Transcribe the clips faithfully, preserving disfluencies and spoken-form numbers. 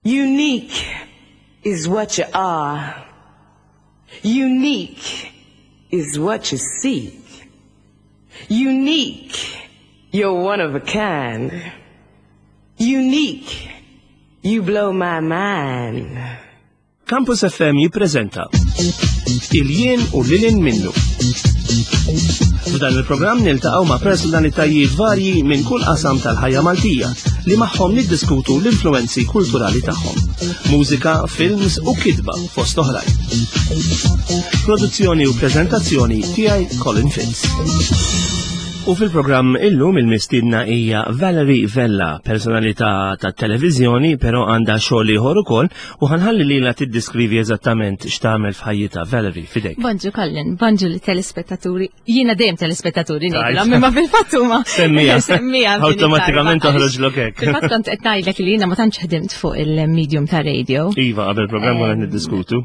Unique is what you are. Unique is what you seek. Unique, you're one of a kind. Unique, you blow my mind. Campus F M jippreżenta Il-Jien u Lil Hinn Minnu. F'dan il-programm niltaqgħu ma' personalitajiet varji minn kull qasam tal-ħajja Maltija li magħhom niddiskutu l-influenzi kulturali tagħhom. Mużika, films u kitba fost oħrajn. Produzzjoni u preżentazzjoni tiegħi, Colin Fitz. U fil-programm illum il-mistiedna hija Valerie Vella, personalità ta' televiżjoni, però għandha xogħol ieħor ukoll u ħa nħalli lilha tiddiskrivi eżattament x'tagħmel f'ħajjitha. Valerie, fidejk. Bonġu Colin, bonġu lit-telespettaturi. Jiena dejjem telespettaturi ngħidilhom, imma fil-fatt huma. Semmija. Semmija. Awtomatikament toħroġlok hekk. Fil-fatt kont qed ngħidlek li jiena ma tantx ħdimt fuq il-medium ta' radio. Iva, qabel programm konna niddiskutu.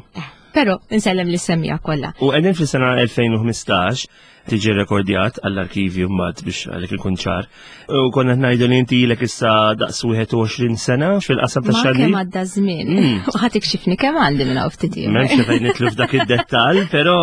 Però insellem lis-semmiegħa kollha. U qegħdin fis-sena elfejn u ħmistax, tiġi rekordjat għall-arkivju mbagħad biex għalek ikun ċar. U konna ngħidu li inti ilek issa daqs wieħed u għoxrin sena fil-qasam ta' Ma xandir. kemm għadda żmien. Mm. U ħa tikxifni kemm għandi minn hawn ftit ieħor. M'hemmx fejn nidħlu f'dak id-dettall, però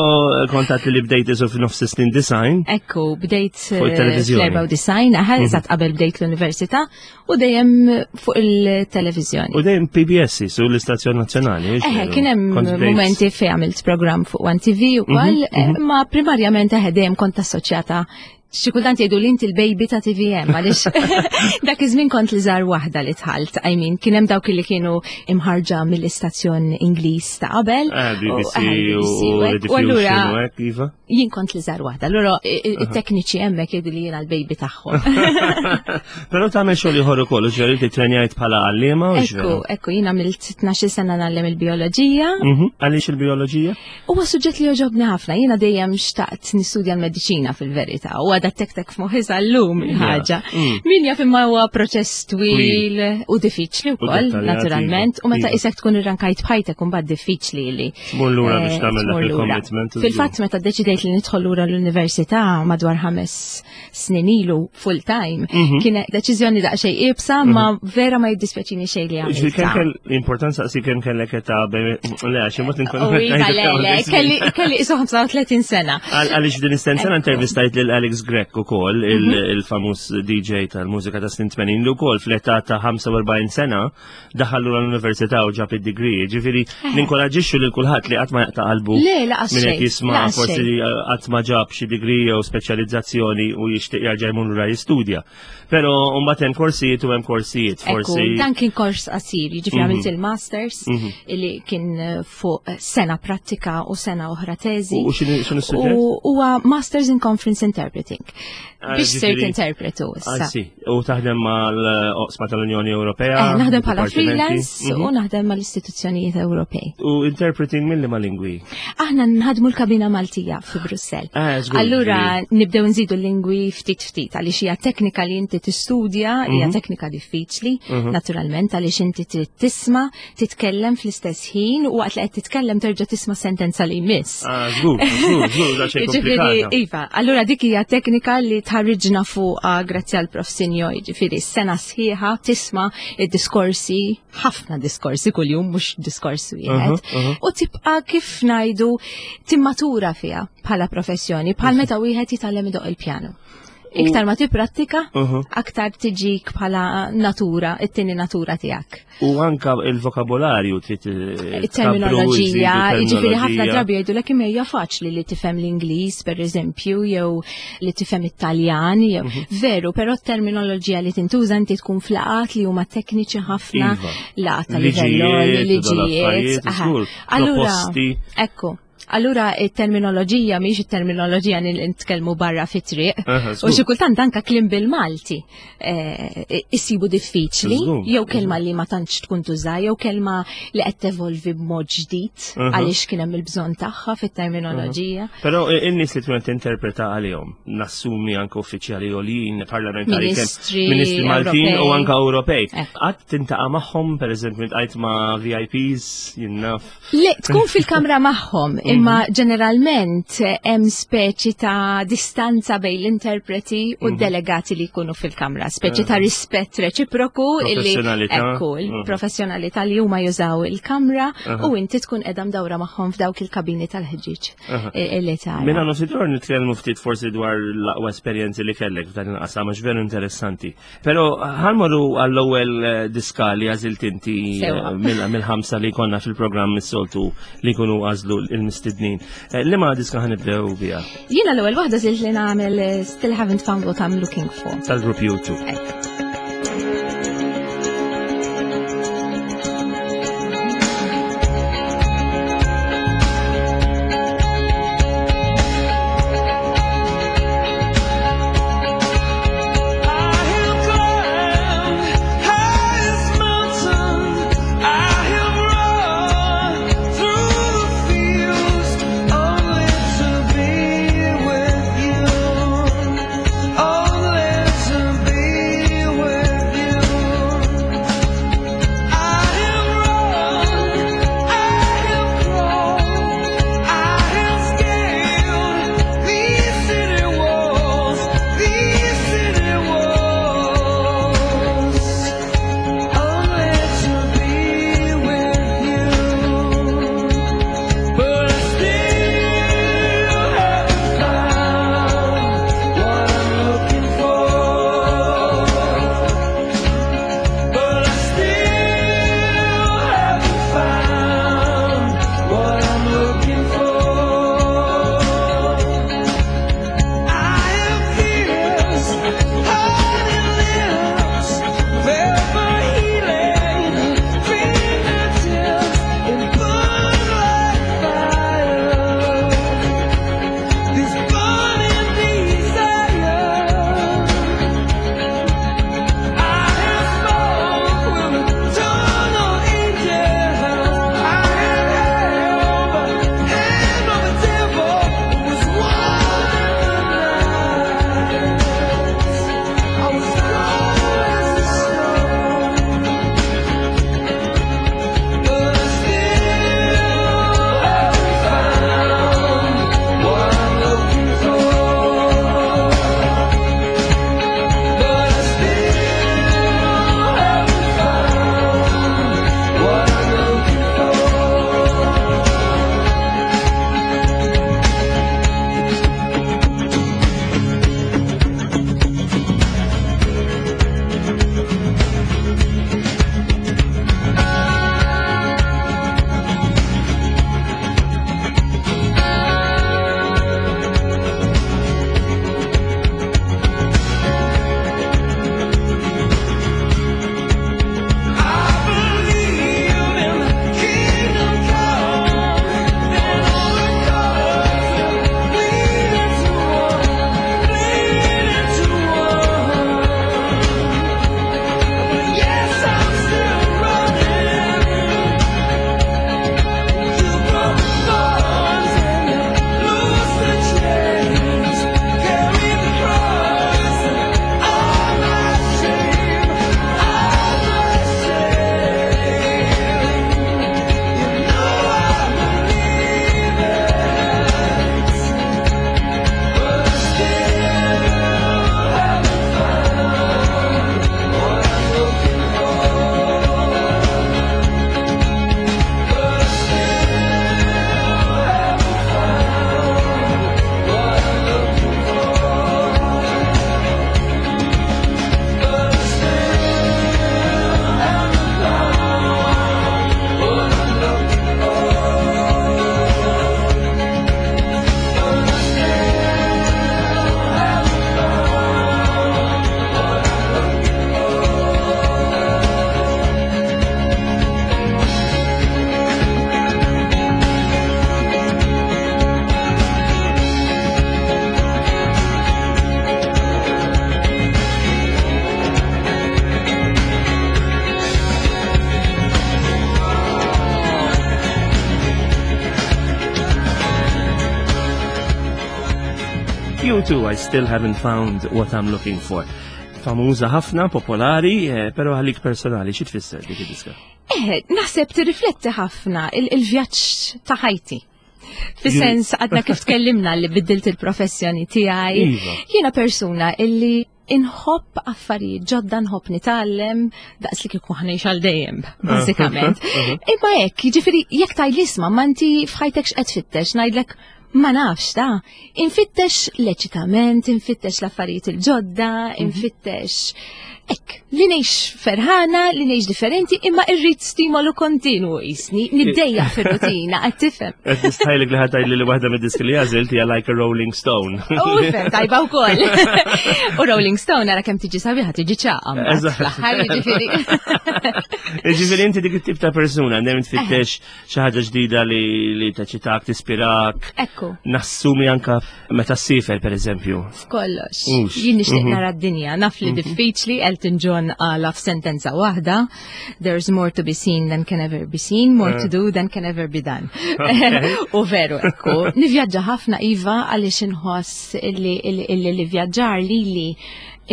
kontat li bdejt isu f'nofs snin disgħin. Ekku, bdejt Fuq il-televiżjoni. fl-erbgħa u disgħin, aħe, eżatt qabel bdejt l-università u dejjem fuq il-televiżjoni. U dejjem P B S su l-istazzjon nazzjonali. Eħe, kien hemm Kont bdejt- momenti fejn għamilt program fuq One T V u koll, Mhm, ma primarjament eħe dejjem kont assoċjata. Xi kultant jgħidu li inti l-baby ta' T V M, għaliex dak iż-żmien kont l-iżgħar waħda li dħalt. I mean, kien hemm dawk li kienu imħarġa mill-istazzjon Ingliż ta' qabel. Eh, B B C u- u u hekk. U allura Rediffusion u hekk, iva. jien kont l-iżgħar waħda. Allura i- i- it-tekniċi hemmhekk jgħidu li jiena l-baby tagħhom. Però tagħmel xogħol ieħor ukoll, ġifieri li trenjajt bħala għalliema u Ekku, ekku, jien għamilt tnax-il sena ngħallem il-bioloġija. Mhm. Għaliex il-bioloġija? Huwa suġġett li joġobni ħafna. Jiena dejjem xtaqt nistudja l-mediċina fil-verità. U għadha tektek f'moħħi sal-lum il-ħaġa. Mm. Min jaf, imma huwa proċess twil u diffiċli wkoll, dettaljat, naturalment. U meta iva. isek tkun irrankajt b'ħajtek, imbagħad diffiċli li Tmur lura biex eh, tagħmel dak tmur lura. il-commitment. Fil-fatt meta deċidejt li nidħol lura l-università madwar ħames snin ilu full time, Mhm. kien deċiżjoni daqsxejn iebsa, ma vera ma jiddispjaċini xejn li Ġifieri kemm għamiltha. kell importanza si kemm kellek età bejn, le, għax imbagħad inkun U iva, le, le, kelli kelli isu ħamsa u tletin sena. Għaliex din istess sena Ekku. intervistajt lil Alex Grech ukoll, Mhm. il-famuż D J tal-mużika ta' snin tmenin, li wkoll fl-età ta' ħamsa u erbgħin sena daħal lura l-università u ġab id-degree. Ġifieri ninkoraġixxu lil kulħadd li qatt ma jaqta' qalbu Le, laqas min qed xejn, jisma' laqas forsi xejn. li qatt ma ġab xi degree jew speċjalizzazzjoni u jixtieq jerġa' jmur lura jistudja. Però mbagħad hemm korsijiet u hemm korsijiet, forsi. Ekku, dan kien kors qasir, jiġifieri Mhm. għamilt il-masters Mhm. illi kien eh, fuq sena prattika u sena oħra teżi. U x'inhu x'inhu s-suġġett? U huwa Masters in Conference Interpreting. Ah, Biex sirt ġifieri- interpretu issa. Anzi, u taħdem mal-oqsma tal-Unjoni Ewropea? Eh, naħdem bħala dipartimenti? freelance Mhm. u naħdem mal-istituzzjonijiet Ewropej. U interpreting mill ma lingwi? Aħna nħadmu l-kabina Maltija fi Brussell. Ah, żgur, Allura nibdew nżidu l-lingwi ftit ftit għaliex hija teknika li inti tistudja, hija Mhm. teknika diffiċli, Mhm. naturalment, għaliex inti trid tisma', titkellem fl-istess ħin u waqt li qed titkellem terġa' tisma' sentenza li jmiss. Ah, żgur, żgur, żgur, da xejn Jiġifieri, komplikata. iva, allura dik hija teknika li tħarriġna fuqha grazzi għal Prof Sinjo, jiġifieri sena sħiħa tisma' id-diskorsi, ħafna diskorsi kuljum, mhux diskors wieħed, Mhm, mhm. u tibqa', kif ngħidu, timmatura fiha bħala professjoni, bħal meta wieħed jitgħallem idoq il-pjano. Iktar ma tipprattika, Mhm. aktar tiġik bħala natura, it-tieni natura tiegħek. U anka il-vokabolarju trid eh, Il-terminoloġija, tkabru, jiġifieri ħafna terminoloġija. drabi jgħidu l imma hija faċli li tifhem l-Ingliż, per eżempju, jew li tifhem it-Taljan, jew Mhm. veru, però t-terminoloġija li tintuża, inti tkun f'laqgħat li huma tekniċi ħafna, Iva. laqgħat ta' livell, Liġijiet, u liġijiet. dal-affarijiet, aha. żgur, Allura, proposti. ekku, allura it-terminoloġija mhix it-terminoloġija li nitkellmu barra fit-triq. Aha, U żgur. xi kultant anka kliem bil-Malti eh, issibu diffiċli, Żgur, jew kelma li ma tantx tkun tuża, jew kelma li qed tevolvi b'mod ġdid Mhm. għaliex kien hemm il-bżonn tagħha fit-terminoloġija. Però in-nies li tkun qed tinterpreta għalihom, nassumi anke uffiċjali għoljin, parlamentari, kemm Ministri ministri Maltin u Ewropej. anke Ewropej. Ekk. Qatt tintaqa' magħhom, pereżempju, tqajt ma' V I Ps, jien naf? Le, tkun fil-kamra magħhom, imma ġeneralment hemm speċi ta' distanza bejn l-interpreti u d-delegati li jkunu fil-kamra, speċi ta' rispett reċiproku illi Professjonalità. Ekku, il-professjonalità li huma jużaw il-kamra u inti tkun qiegħda mdawra magħhom f'dawk il-kabini tal-ħġieġ li tara. Minna nofsidor nitkellmu ftit forsi dwar l-aqwa esperjenzi li kellek f'dan il-qasam, għax veru interessanti. Però ħa mmorru għall-ewwel eh, diska li għażilt inti eh, Sewa. mill- mill-ħamsa li konna fil-programm is-soltu li jkunu għażlu l-mistednin. Eh, Liema diska ħa nibdew biha? Jiena l-ewwel waħda għażilt li nagħmel eh, Still Haven't Found What I'm Looking For. Tal-grupp U two. Ekk. I have climbed highest mountain. I have run through the fields only to be with you. Only to be with you. I have run, I have crawled, I have scaled these city walls, these city walls, only to be with you. But I still haven't found what I'm looking for. But I still haven't found what I'm looking for. I have kissed honey lips, forever healing fingertips, and burn like fire. This burning desire. I have spoke with eternal angels. I have held the hand of a devil who was one in the night. I was cold as the snow, but I still haven't found what I'm looking for. But I still haven't found what I'm looking for. I believe in the kingdom come, and all the colors bleed into one, bleed into one. But yes, I'm still running. You broke the bonds and you loosed the chains, carry the cross and all my shame, all my shame. You know I believe it, but I still haven't found what I'm looking for. But I still haven't found what I'm looking for. But I still haven't found what I'm looking for. But I still haven't found what I'm looking for. U two, I Still Haven't Found What I'm Looking For. Famuża ħafna, popolari, eh, pero għalik personali, xi tfisser dik id-diska? Eh, naħseb tirrifletti ħafna il- il-vjaġġ ta' ħajti. Fis-sens għadna kif tkellimna li biddilt il-professjoni tiegħi. Iva. Jiena persuna illi inħobb affarijiet ġodda, nħobb nitgħallem daqs li kieku ħa ngħix għal dejjem, bażikament. Imma hekk, jiġifieri jekk tgħidli, "Isma', ma inti f'ħajtek x'qed tfittex?" ngħidlek ma nafx ta' infittex l-eċitament, infittex l-affarijiet il-ġodda, infittex hekk, li ngħix ferħana, li ngħix differenti, imma irrid stimolu kontinu jisni, niddejjaq fir-rutina, qed tifhem. Qed nistħajlek li ħa tgħidli li waħda mid-diski li għażilt hija Like a Rolling Stone. U fem, tajba wkoll. U Rolling Stone ara kemm tiġi sabiħa, tiġi ċaqqa. Eżatt. Fl-aħħar jiġifieri. Ġifieri inti dik it-tip ta' persuna dejjem tfittex xi ħaġa ġdida li li teċitak, tispirak. Ekku. Nassumi anka meta ssifer, per eżempju. F'kollox. Ux. Jien nixtieq Mhm. nara d-dinja, naf li diffiċli. Elton John qala f'sentenza waħda, "There's more to be seen than can ever be seen, more to do than can ever be done." U veru, ekku. Nivvjaġġa ħafna, iva, għaliex inħoss illi illi li vjaġġar li li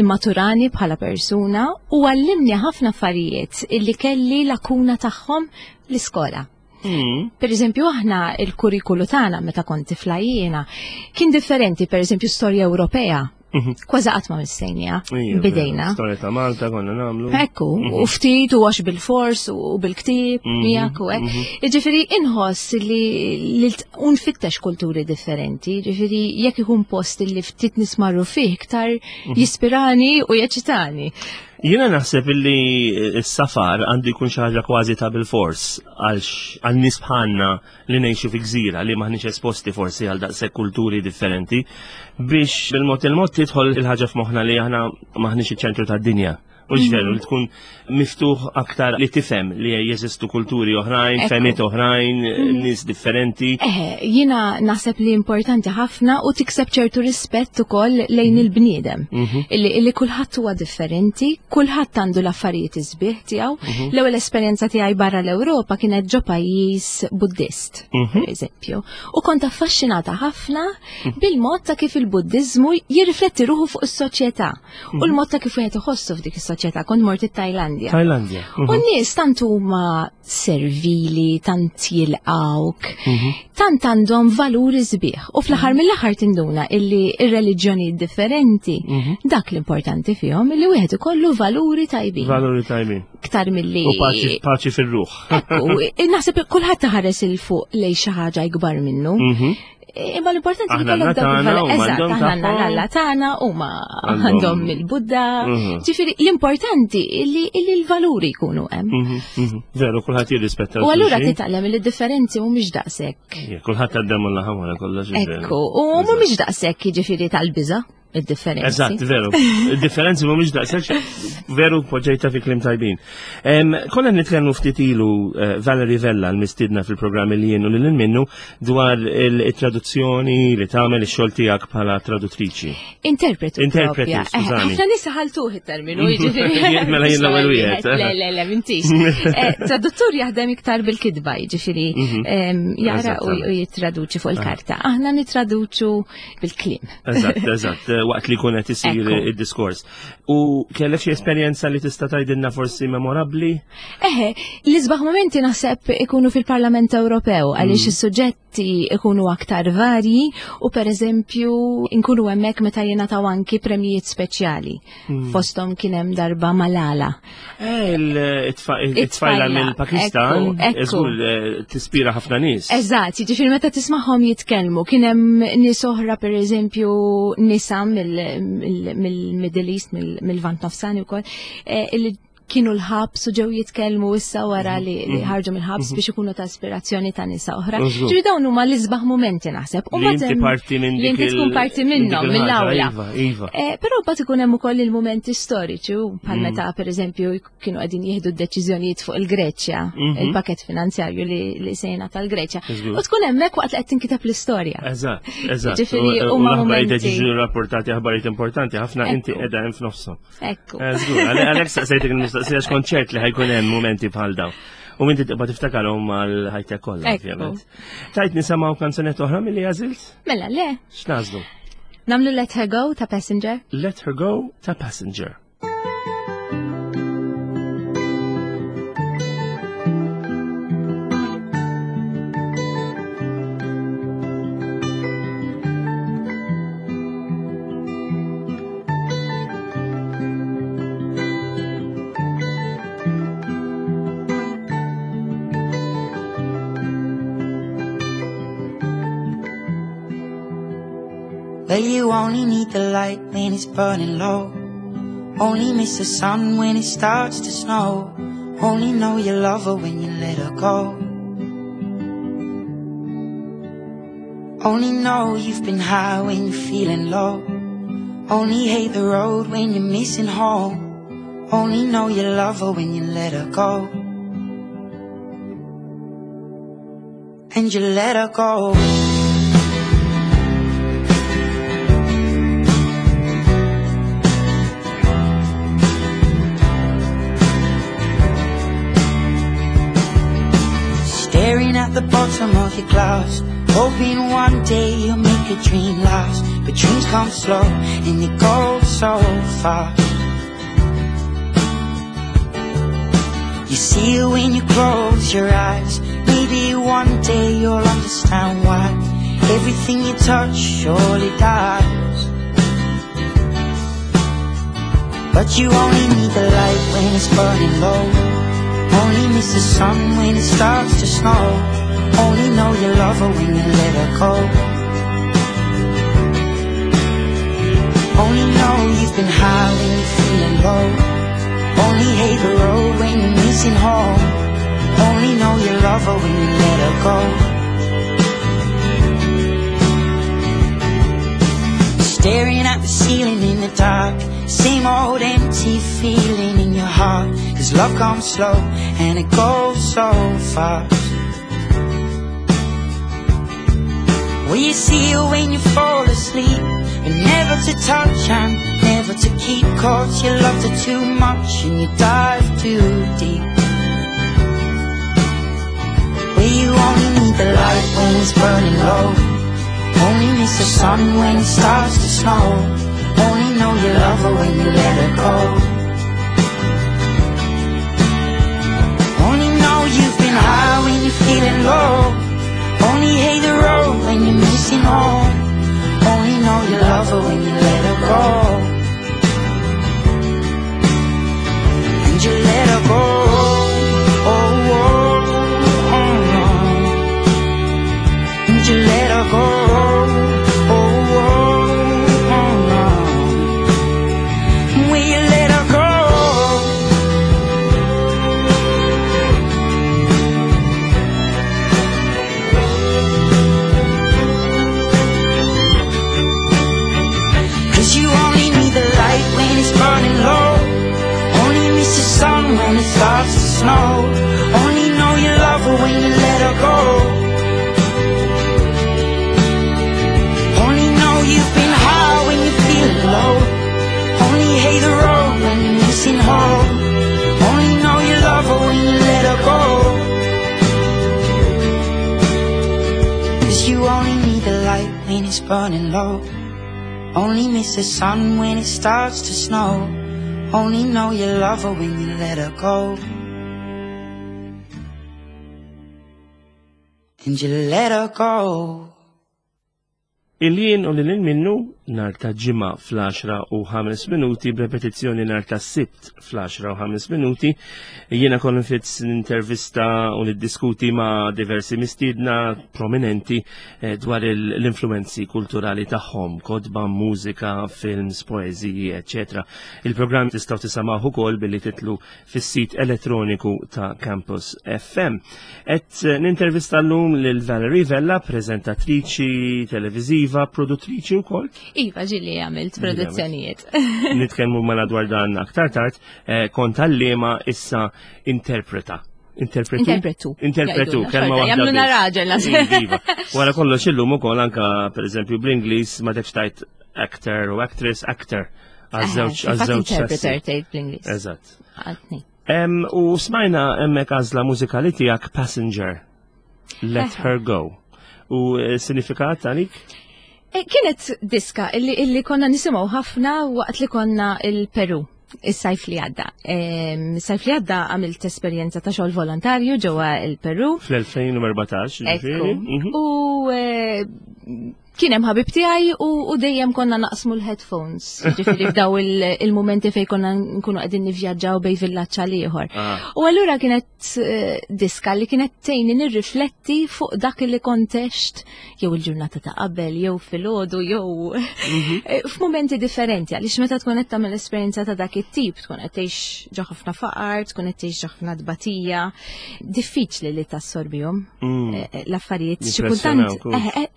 immaturani bħala persuna u għallimni ħafna affarijiet illi kelli lakuna tagħhom l-iskola. Mm. Per eżempju, aħna il-kurrikulu tagħna meta kont tifla jiena kien differenti, per eżempju, storja Ewropea. Mhm. Kważi qatt ma missejnieha. Ija, Bidejna. Storja ta' Malta konna nagħmlu. Ekku, u ftit u għax bil-fors u bil-ktib, Mhm, miegħek u hekk. Jiġifieri inħoss li li t- unfittex kulturi differenti, jiġifieri jekk ikun post li ftit nismarru fih iktar jispirani u jeċitani. Jiena naħseb illi s-safar għandu jkun xi ħaġa kważi ta' bil-fors għal għal nies bħalna li ngħixu fi gżira li maħniex esposti forsi għal daqshekk kulturi differenti, biex bil-mod il-mod tidħol il-ħaġa f'moħħna li aħna maħniex iċ-ċentru tad-dinja. U veru li tkun miftuħ aktar li tifhem li jeżistu kulturi oħrajn, Ekku. fehmiet oħrajn, nies differenti. Eħe, jiena naħseb li importanti ħafna u tikseb ċertu rispett ukoll lejn il-bniedem. Illi, illi kulħadd huwa differenti, kulħadd għandu l-affarijiet isbieħ tiegħu. L-ewwel esperjenza tiegħi barra l-Ewropa kienet ġo pajjiż Buddist, per eżempju. U kont affaxxinata ħafna bil-mod ta' kif il-Buddiżmu jirrifletti ruħu fuq is-soċjetà u l-mod ta' kif wieħed iħossu f'dik is-soċjetà. Kont mort it-Tajlandja. Tajlandja. U n-nies tant huma servili, tant jilqawk, tant għandhom valuri sbieħ. U fl-aħħar mill-aħħar tinduna illi ir-reliġjoni differenti, dak l-importanti fihom illi wieħed ikollu valuri tajbin. Valuri tajbin. Iktar milli. U paċi, paċi fir-ruħ. Ekku, naħseb kulħadd taħares 'il fuq lejn xi ħaġa ikbar minnu. Mhm. Imma l-importanti li Aħna kollok għandna dawk tagħna, il-valuri. huma Eżatt, għandhom aħna għandna tagħhom. l-Alla tagħna, huma Għandhom- għandhom il-Budda. Mhm. Ġifieri l-importanti li li l-valuri jkunu hemm. Mhm, mhm. Veru, kulħadd jirrispetta. U allura l-xulxin. titgħallem li d-differenzi mhumiex daqshekk. Ija, kulħadd għaddem l-laħam wara kollox. veru. Ekku, u mhumiex daqshekk jiġifieri tal-biża' id-differenzi. Eżatt, veru. Il-differenzi mhumiex daqshekk, veru, poġġejta fi kliem tajbin. Em, Konna nitkellmu ftit ilu eh, Valerie Vella, l-mistidna fil-programm li jien u lil minnu, dwar il-traduzzjoni li tagħmel, ix-xogħol tiegħek bħala traduttriċi. Interpretu. Interpretu, propja. Eh, skużani. Ħafna nies ħaltuh it-terminu, jiġifieri. Mela jien l-ewwel wieħed. Le, le, le, m'intix. Eh, Traduttur jaħdem iktar bil-kitba, jiġifieri em, jara u Eżattament. u jittraduċi fuq il-karta. Aħna nitraduċu bil-kliem. Eżatt, eżatt, eh, waqt li jkun qed isir Ekku. id-diskors. U kellek xi esperjenza li tista' tgħidilna forsi memorabbli? Eħe, l-isbaħ momenti naħseb ikunu fil-Parlament Ewropew għaliex is-suġġetti ikunu aktar varji u per eżempju nkunu hemmhekk meta jingħataw anki premjijiet speċjali. Fosthom kien hemm darba Malala. Eh, il-tfajla It-tfajla, mill-Pakistan, ekku, ekku. żgur eh, tispira ħafna nies. Eżatt, jiġifieri meta tismagħhom jitkellmu, kien hemm nies oħra, pereżempju nisa mill-Middle East, mill-Lvant Nofsani wkoll, eh, illi kienu l-ħabs u ġew jitkellmu issa wara li li ħarġu mill-ħabs biex ikunu ta' ispirazzjoni ta' nisa oħra. Żgur. Ġifieri dawn huma l-isbaħ momenti naħseb. U Li mbagħad inti hemm- parti minn li dik inti tkun il- parti minn dik minnhom, il-ħaġa, mill-awla. Iva, iva. Eh, Però mbagħad ikun hemm ukoll il-mumenti storiċi u bħal Mm. meta pereżempju kienu qegħdin jieħdu d-deċiżjonijiet fuq il-Greċja, Mhm. il-pakett finanzjarju li, li se jingħata l-Greċja. Żgur. U tkun hemmhekk waqt li qed tinkiteb l-istorja. Eżatt, eżatt. Ġifieri U- u huma l-aħbarijiet momenti- jiġu rapportati, aħbarijiet importanti, ħafna inti Ekku. qiegħda hemm f'nofshom. Ekku. Eh, Żgur, għale- għalhekk saqsejtek il-mistoqsija x'kont ċert li ħa jkun hemm momenti bħal dawn. U inti tibqa' tiftakarhom għal ħajtek kollha, Ekku. ovvjament. Tajt nisimgħu kanzunetta oħra milli għażilt? Mela le, X'nagħżlu? nagħmlu Let Her Go ta' Passenger. Let Her Go ta' Passenger. Well, you only need the light when it's burning low. Only miss the sun when it starts to snow. Only know you love her when you let her go. Only know you've been high when you're feeling low. Only hate the road when you're missing home. Only know you love her when you let her go. And you let her go. Staring at the bottom of your glass, hoping one day you'll make a dream last. But dreams come slow and they go so fast. You see it when you close your eyes. Maybe one day you'll understand why everything you touch surely dies. But you only need the light when it's burning low. Only miss the sun when it starts to snow. Only know you love her when you let her go. Only know you've been high when you're feeling low. Only hate the road when you're missing home. Only know you love her when you let her go. Staring at the ceiling in the dark, same old empty feeling in your heart. 'Cause love comes slow and it goes so fast. Will you see her when you fall asleep? But never to touch and never to keep. 'Cause you loved her too much and you dive too deep. Well, you only need the light when it's burning low. Only miss the sun when it starts to snow. Only know you love her when you let her go. Only know you've been high when you're feeling low. Only hate the road when you're missing home. Only know you love her when you let her go. And you let her go. Oh, oh, oh, no. And you let her go. Oh, oh, oh, no. Will you let her go? 'Cause you only need the light when it's burning low. Only miss the sun when it starts to snow. Only know you love her when you let her go. Only know you've been high when you're feeling low. Only hate the road when you're missing home. Only know you love her when you let her go. 'Cause you only need the light when it's burning low. Only miss the sun when it starts to snow. Only know you love her when you let her go. And you let her go. Il-jien u lil minnu nhar ta' Ġimgħa fl-għaxra u ħames minuti, b'repetizzjoni nhar ta' Sibt fl-għaxra u ħames minuti. Jiena Colin Fitz nintervista u niddiskuti ma' diversi mistiedna prominenti eh, dwar il- l-influenzi kulturali tagħhom, kotba, mużika, films, poeżiji, eċċetera. Il-programm tistgħu tisimgħuh ukoll billi titilgħu fis-sit elettroniku ta' Campus F M. Et eh, nintervista llum lil Valerie Vella, preżentatriċi televiżiva, produttriċi wkoll. Iva, ġieli għamilt produzzjonijiet. Nitkellmu mela dwar dan aktar tard, eh, kont għalliema, issa interpreta. Interpretu? Interpretu. Interpretu, Jgħidulna, kelma xorta, waħda jagħmluna biss. raġel, naħseb. Iva. Wara kollox illum ukoll anka pereżempju bl-Ingliż ma tekx tajt actor u actress, actor. Għaż-żewġ Fatt għaż-żewġ interpreter sessi. tgħid bl-Ingliż. Eżatt. Għatni. Em, U smajna hemmhekk għażla mużikali tiegħek, Passenger. Let Eħe. Her Go. U eh, sinifikat għalik? E, Kienet diska illi, illi konna nisimgħu ħafna waqt li konna il-Peru is-sajf li għadda. Em, Is-sajf li għadda għamilt esperjenza ta' xogħol volontarju ġewwa il-Peru. Fl-elfejn u erbatax, Ekku. ġifieri? Mhm. U eh, Kien hemm ħabib tiegħi u, u dejjem konna naqsmu l-headphones. Ġifieri f'daw il- il-mumenti fejn konna nkunu qegħdin nivvjaġġaw bejn villaġġ għal ieħor. Ah. U allura kienet eh, diska li kienet tgħinni nirrifletti fuq dak li kont għext jew il-ġurnata ta' qabel, jew filgħodu, jew eh, f'mumenti differenti, għaliex meta tkun qed tagħmel esperjenza ta' dak it-tip, tkun qed tgħix ġo ħafna faqar, tkun qed tgħix ġo ħafna tbatija, diffiċli li tassorbihom Mm. eh, l-affarijiet. Xi kultant Jimpressjonawk, hux. eh, eh,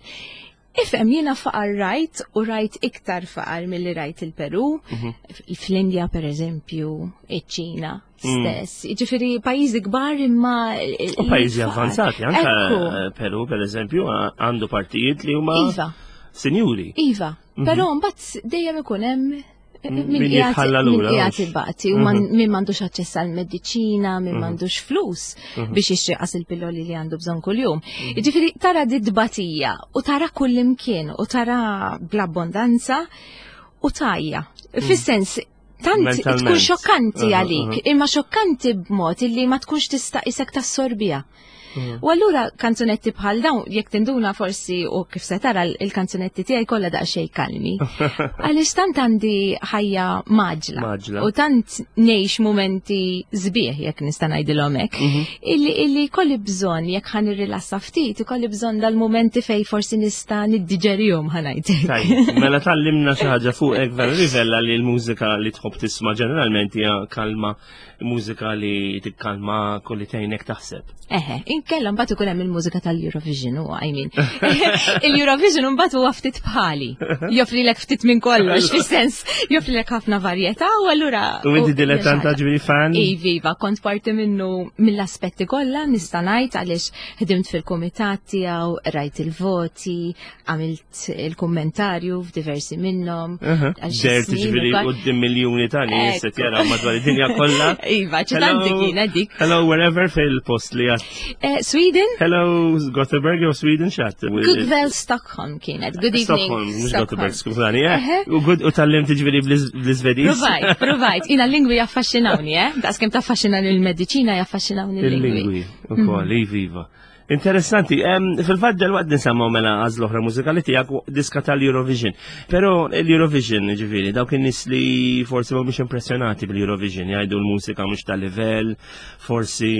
Ifhem, jiena faqar rajt u rajt iktar faqar milli rajt il-Peru, Mhm. fl-Indja per eżempju, iċ-Ċina Mm. stess. Ġifieri pajjiżi kbar imma U pajjiżi avvanzati, anka Ekku. eh, Peru per eżempju għandu partijiet li huma Iva, sinjuri. iva. Però mbagħad dejjem ikun hemm eh, Mhm. Min min qiegħed jitħalla min lura, qiegħed hux. ibati u man- Mhm. min m'għandux aċċess għal mediċina, min m'għandux flus biex jixtri qas il-pilloli li għandu bżonn kuljum. Jiġifieri tara di tbatija u tara kull imkien u tara bl-abbondanza u tajja. Fis-sens tant Mentalment. tkun xokkanti Aha, għalik, aha. imma xokkanti b'mod illi ma tkunx tista' isek tassorbija. Mhm. U allura kanzunetti bħal dawn, jekk tinduna forsi u kif se tara il-kanzunetti tiegħi kollha daqsxejn kalmi. Għaliex tant għandi ħajja maġla. Mgħaġġla. U tant ngħix mumenti sbieħ jekk nista' ngħidilhom hekk. Mhm. Illi illi kolli bżonn jekk ħa nirrilassa ftit, ikolli bżonn dal-mumenti fej forsi nista' niddiġerihom ħa ngħidlek. Tajjeb, mela tgħallimna xi ħaġa fuqek Vera Rivella li l-mużika li tħobb tisma' ġeneralment hija kalma, mużika li tikkalma kulli tgħinek taħseb. Eħe, inkella mbagħad ikun hemm il-mużika tal-Eurovision u I mean. Il-Eurovision mbagħad huwa ftit bħali. Joffrilek ftit minn kollox, fis-sens joffrilek ħafna varjetà u allura. U inti dilettanta ġifieri fan? Iva, kont parti minnu mill-aspetti kollha nista' ngħid għaliex ħdimt fil-kumitat tiegħu, rajt il-voti, għamilt il-kummentarju f'diversi minnhom. għal xi Dert snin ġifieri ukoll. quddiem miljuni ta' nies qed Ekku. jaraw madwar id-dinja kollha. Iva, ċitanti kienet dik. Hello wherever fil-post li għat. Eh, Sweden? Hello Gothenburg jew Sweden xat. Good Stockholm kienet. Good evening. Stockholm, mhux Gothenburg, skużani. eh. Eħe. U good u tgħallimt ġifieri bl-Iżvediż. Provajt, provajt. Jiena l-lingwi jaffaxxinawni, eh? Daqs kemm taffaxxina l-mediċina jaffaxxinawni l-lingwi. Il-lingwi, ukoll, iva. Interessanti, em, fil-fatt dal-waqt nisimgħu mela għażla oħra mużikali tiegħek diska tal-Eurovision. Però l-Eurovision, ġifieri, dawk in-nies li forsi mhumiex impressjonati bil-Eurovision, jgħidu l-mużika mhux tal-livell, forsi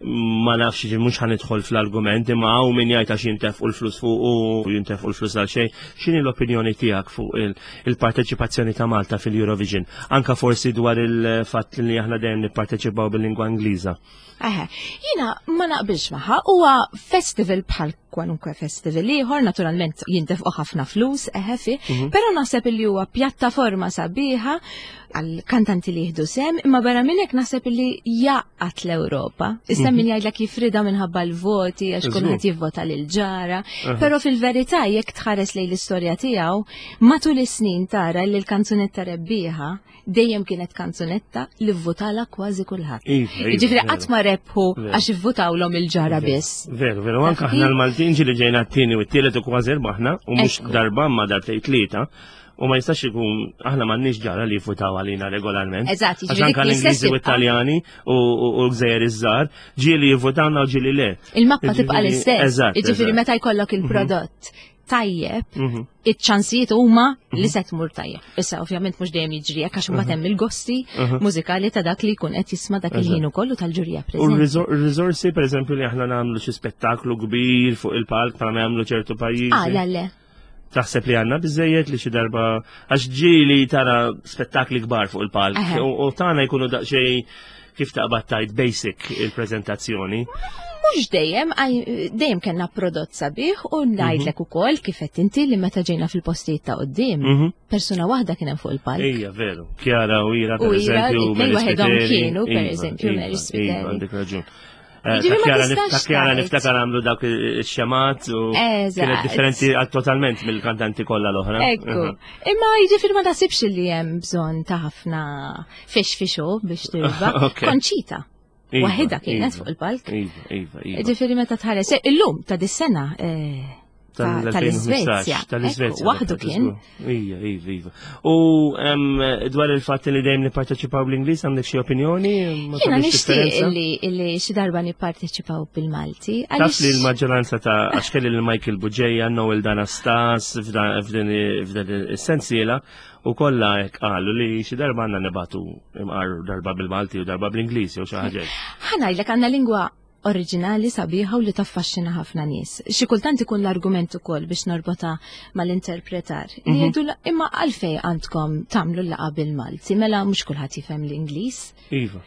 ma nafx ġi mhux ħa nidħol fl-argument, imma hawn min jgħid għax jintefqu l-flus fuq u jintefqu l-flus għal xejn. X'inhi l-opinjoni tiegħek fuq il- il-parteċipazzjoni ta' Malta fil-Eurovision? Anka forsi dwar il-fatt li aħna dejjem nipparteċipaw bil-lingwa Ingliża. Eħe, jiena ma naqbilx magħha, huwa festival bħal kwalunkwe festival ieħor, naturalment jintefqu ħafna flus, eħe fi, però naħseb li huwa pjattaforma sabiħa għal kantanti li jieħdu sem, imma barra minn hekk naħseb li jgħaqqad l-Ewropa. Issa min jgħidlek jifrida minħabba l-voti għax Żgur. kulħadd jivvota lil ġara, però fil-verità jekk tħares lejn l-istorja tiegħu, matul is-snin tara li l-kanzunetta rebbieħa dejjem kienet kanzunetta li vvotala kważi kulħadd. Iva, iva, Jiġifieri veru. qatt ma rebħu Veru. għax ivvutawlhom il-ġara biss. Veru, veru, anka Taf aħna kif? l-Maltin ġieli ġejna t-tieni u t-tielet u kważi rbaħna, u mhux Ekku. darba ma darbtejn tlieta, u ma jistax ikun aħna m'għandniex ġara li jivvutaw għalina regolarment. Eżatt, Għax jiġifieri anka dik l-istess l-Ingliżi u tibqa'. t-Taljani u u- u l-Gżejjer iż-żgħar, ġieli jivvutawna u ġieli le. Il-mappa tibqa' Jiġifieri- l-istess. Eżatt. Jiġifieri eżatt. meta jkollok il-prodott tajjeb, Mhm. iċ-ċansijiet huma li se tmur tajjeb. Issa ovvjament mhux dejjem jiġri hekk għax imbagħad hemm il-gosti mużikali ta' dak li jkun qed jisma' dak il-ħin ukoll u tal-ġurija U preżenti. r-riżorsi, per eżempju, li aħna nagħmlu xi spettaklu kbir fuq il-palk bħalma jagħmlu ċertu pajjiżi. Ah, le, le. Taħseb li għandna biżejjed li xi darba għax ġieli tara spettakli kbar fuq il-palk Eħe. u u tagħna jkunu daqsxejn kif taqbad tajt basic il-preżentazzjoni. Mhux dejjem, għaj- dejjem kellna prodott sabiħ u ngħidlek ukoll kif qed inti li meta ġejna fil-postijiet ta' quddiem, Mhm. persuna waħda kien hemm fuq il-palk. Ija, veru. Chiara u Ira, per U Ira, eżempju, it-tnejn Mary waħedhom Spiteri. kienu, per Iva, eżempju, iva, Mary Spiteri. Iva, għandek raġun. Eh, Jiġifieri Ta' ma Chiara nif- tistax ta' Chiara tgħid. niftakar għamlu dawk ix-xemat u Eżatt. kienet differenti għal totalment mill-kantanti kollha l-oħra. Ekku. Imma jiġifieri ma taħsibx li hemm bżonn ta' ħafna fix fixu biex tirba. Ok. Konċita. Iva, Waħedha kienet iva. fuq il-palk. Iva, iva, iva. Ġifieri meta tħares. Eh, Illum ta' dis-sena eh, tal-Iżvezja. Tal-Iżvezja. Waħdu kien. Ija, iva, iva. U dwar il-fatt li dejjem nipparteċipaw bl-Ingliż għandek xi opinjoni? Jiena nixtieq li xi darba nipparteċipaw bil-Malti. Taf li l-maġġoranza ta' għax kelli lil Michael Bugeja, Noel Danastas f'din is-sensiela u kollha hekk qalu li xi darba għandna nibatu imqar darba bil-Malti u darba bl-Ingliż jew xi ħaġa. Ħa ngħidlek għandna lingwa oriġinali sabiħa u li taffaxxina ħafna nies. Xi kultant ikun l-argument ukoll biex norbota mal-interpretar. Li mhm. jgħidu imma għalfej għandkom tagħmlu l-laqgħa bil-Malti, mela mhux kulħadd jifhem l-Ingliż. Iva.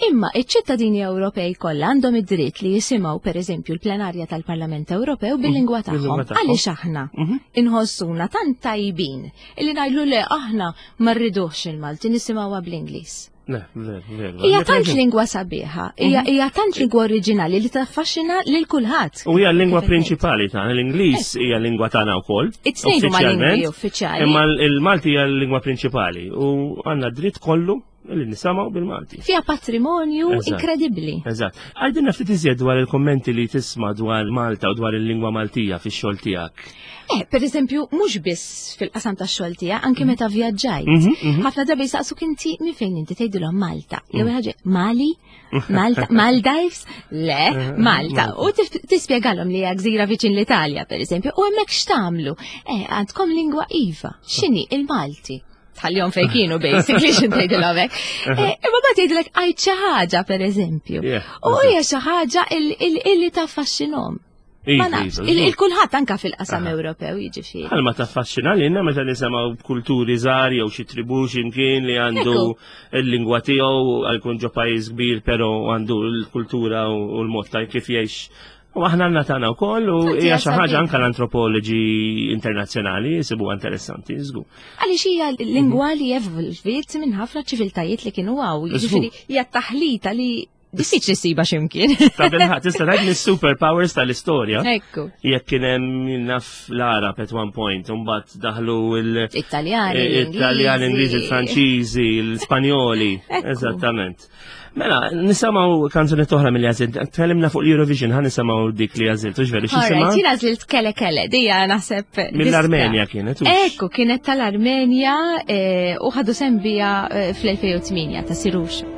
Imma iċ-ċittadini Ewropej kollha għandhom id-dritt li jisimgħu pereżempju l-plenarja tal-Parlament Ewropew bil-lingwa mhm. tagħhom. Għaliex aħna mhm. inħossuna tant tajbin illi ngħidlu le aħna ma rridux il-Malti nisimgħuha bl-Ingliż. Le, ver, ver. Hija tant lingwa sabiħa, hija mhm. hija tant lingwa oriġinali li taffaxxina lil kulħadd. U hija l-lingwa prinċipali tagħna, l-Ingliż eh. hija lingwa tagħna wkoll. It-tnejn huma lingwi uffiċjali. Imma l-Malti hija l-lingwa prinċipali u għandna dritt kollu li nisimgħu bil-Malti. Fiha patrimonju inkredibbli. Eżatt. Għajdilna ftit iżjed dwar il-kommenti li tisma' dwar Malta u dwar il-lingwa Maltija fix-xogħol tiegħek. Eh, per eżempju, mhux biss fil-qasam tax-xogħol tiegħek, anke mhm. meta vjaġġajt. Mhm, mhm. Ħafna drabi jistaqsuk inti minn fejn inti tgħidilhom Malta. L-ewwel ħaġa Mali, Malta, Maldives, le, eh, Malta. U tispjegalhom li hija gżira viċin l-Italja, per eżempju, u hemmhekk x'tagħmlu? Eh, għandkom lingwa iva. X'inhi il-Malti? Tħallihom fejn kienu basically x'in tgħidilhom hekk. Eh, imma mbagħad jgħidlek għid xi ħaġa pereżempju. U hija xi ħaġa illi taffaxxinhom. Ma nafx, il-kulħadd anka fil-qasam Ewropew jiġifieri. Bħalma taffaxxina lilna meta nisimgħu b'kulturi żgħar jew xi tribu x'imkien li għandu l-lingwa tiegħu għal jkun ġo pajjiż kbir però għandu l-kultura u l-mod ta' kif jgħix. U aħna għandna tagħna wkoll u hija xi ħaġa anke l-antropoloġi internazzjonali jsibuha interessanti, żgur. Għaliex hija lingwa li evolviet minn ħafna ċiviltajiet li kienu hawn, jiġifieri hija taħlita li diffiċli ssiba x'imkien. Ta' bilħaqq, tista' tgħid mis-superpowers tal-istorja. Ekku. Jekk kien hemm naf l-Arab at one point, u mbagħad daħlu il- Italjani, Italjani, Ingliżi, il-Franċiżi, l-Spanjoli. Eżattament. Mela, nisimgħu kanzuni oħra mill għażilt. Tkellimna fuq l-Eurovision, ħa nisimgħu dik li għażilt, hux veru x'jisimha? Jien għażilt Kele Kele, dija naħseb. Mill-Armenja kienet. Ekku, kienet tal-Armenja eh, u ħadu sehem biha eh, fl-elfejn u tmienja ta' Sirux. You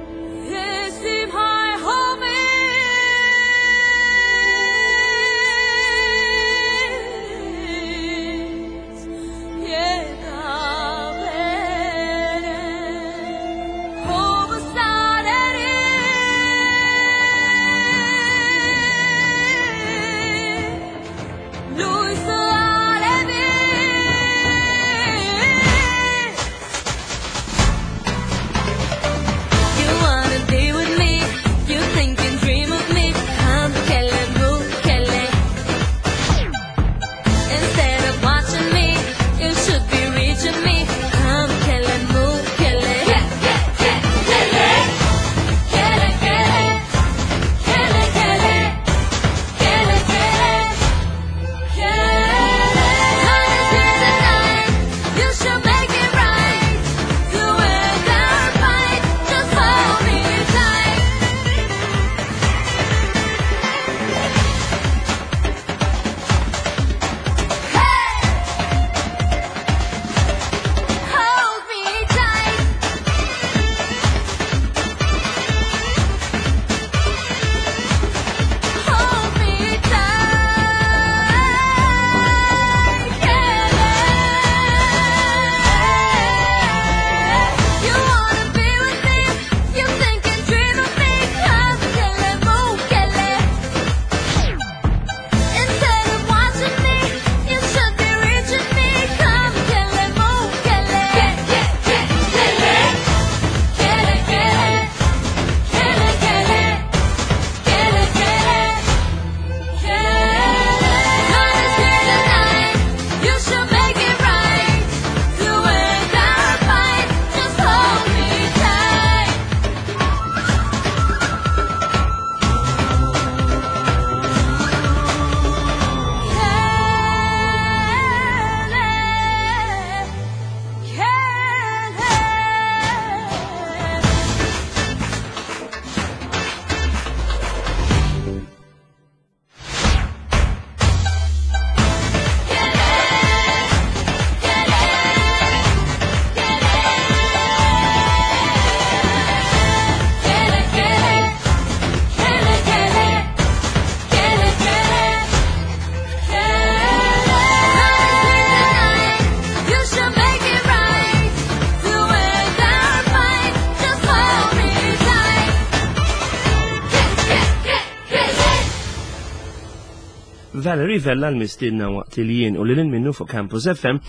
Valerie Vella l-mistiedna waqt li jien u lil minnu fuq Campus F M.